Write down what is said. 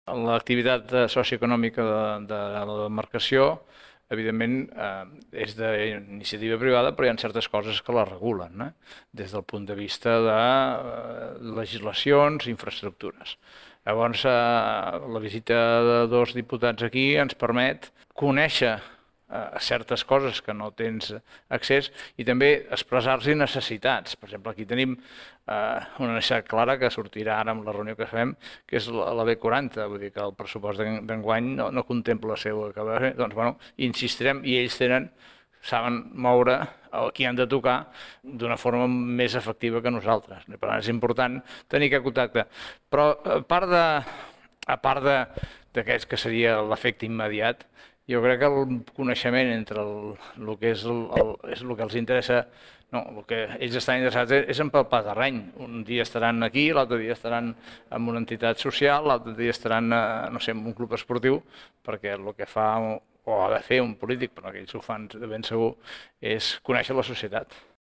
L'activitat socioeconòmica de la demarcació, evidentment, és d'iniciativa privada, però hi ha certes coses que la regulen, des del punt de vista de legislacions i infraestructures. Llavors, la visita de dos diputats aquí ens permet conèixer certes coses que no tens accés i també expressar-los necessitats. Per exemple, aquí tenim una necessitat clara que sortirà ara amb la reunió que fem, que és la B40, vull dir que el pressupost d'enguany no contempla el seu acabar. Doncs, bueno, insistirem i ells saben moure el que han de tocar d'una forma més efectiva que nosaltres. Per tant, és important tenir aquest contacte. Però a part d'aquest que seria l'efecte immediat, jo crec que el coneixement entre el que és el que els interessa, no, el que ells estan interessats és empalpar terreny. Un dia estaran aquí, l'altre dia estaran en una entitat social, l'altre dia estaran, no sé, en un club esportiu, perquè el que fa o ha de fer un polític, però que ells ho fan de ben segur, és conèixer la societat.